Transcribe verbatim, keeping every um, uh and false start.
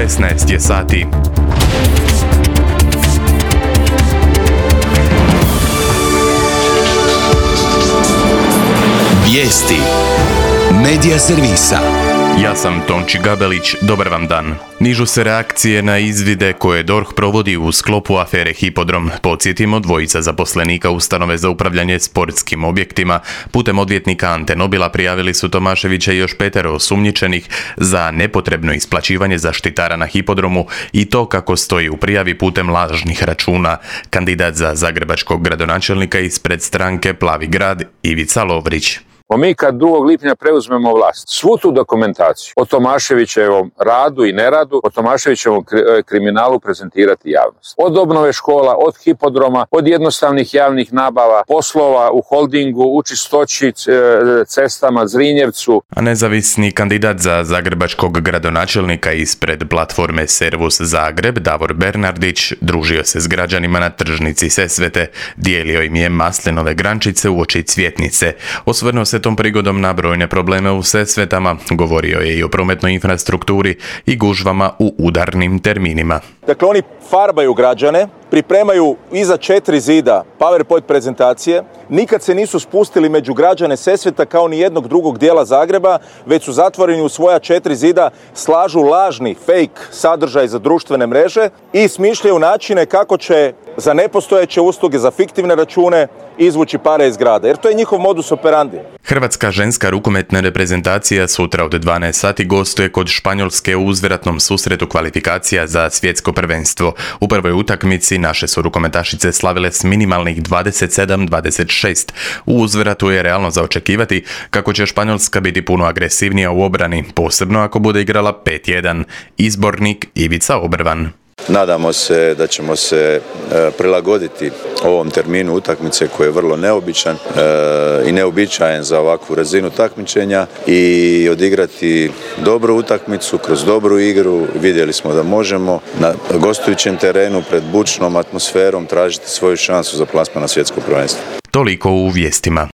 šesnaest je sati. Vijesti Medija servisa. Ja sam Tonči Gabelić, dobar vam dan. Nižu se reakcije na izvide koje D O R H provodi u sklopu afere Hipodrom. Podsjetimo, dvojica zaposlenika ustanove za upravljanje sportskim objektima putem odvjetnika Ante Nobila prijavili su Tomaševića i još petero osumnjičenih za nepotrebno isplaćivanje zaštitara na Hipodromu i to kako stoji u prijavi putem lažnih računa. Kandidat za zagrebačkog gradonačelnika ispred stranke Plavi grad Ivica Lovrić. Mi kad drugog lipnja preuzmemo vlast, svu tu dokumentaciju o Tomaševićevom radu i neradu, o Tomaševićevom kriminalu prezentirati javnost. Od obnove škola, od hipodroma, od jednostavnih javnih nabava, poslova u holdingu, u Čistoći, cestama, Zrinjevcu. A nezavisni kandidat za zagrebačkog gradonačelnika ispred platforme Servus Zagreb, Davor Bernardić, družio se s građanima na tržnici Sesvete, dijelio im je maslinove grančice uoči Cvjetnice. Osvrnuo se tom prigodom na brojne probleme u Sesvetama, govorio je i o prometnoj infrastrukturi i gužvama u udarnim terminima. Dakle, oni farbaju građane, pripremaju iza četiri zida PowerPoint prezentacije, nikad se nisu spustili među građane Sesveta kao ni jednog drugog dijela Zagreba, već su zatvoreni u svoja četiri zida, slažu lažni fake sadržaj za društvene mreže i smišljaju načine kako će za nepostojeće usluge, za fiktivne račune izvući pare iz grada, jer to je njihov modus operandi. Hrvatska ženska rukometna reprezentacija sutra od dvanaest sati gostuje kod Španjolske u uzvratnom susretu kvalifikacija za svjetsko prvenstvo. U prvoj utakmici naše su rukometašice slavile s minimalnih dvadeset sedam dvadeset šest. U uzvratu je realno za očekivati kako će Španjolska biti puno agresivnija u obrani, posebno ako bude igrala pet jedan. Izbornik Ivica Obrvan. Nadamo se da ćemo se e, prilagoditi ovom terminu utakmice koji je vrlo neobičan e, i neobičajen za ovakvu razinu takmičenja i odigrati dobru utakmicu kroz dobru igru. Vidjeli smo da možemo na gostujućem terenu pred bučnom atmosferom tražiti svoju šansu za plasman na svjetsko prvenstvo. Toliko u vijestima.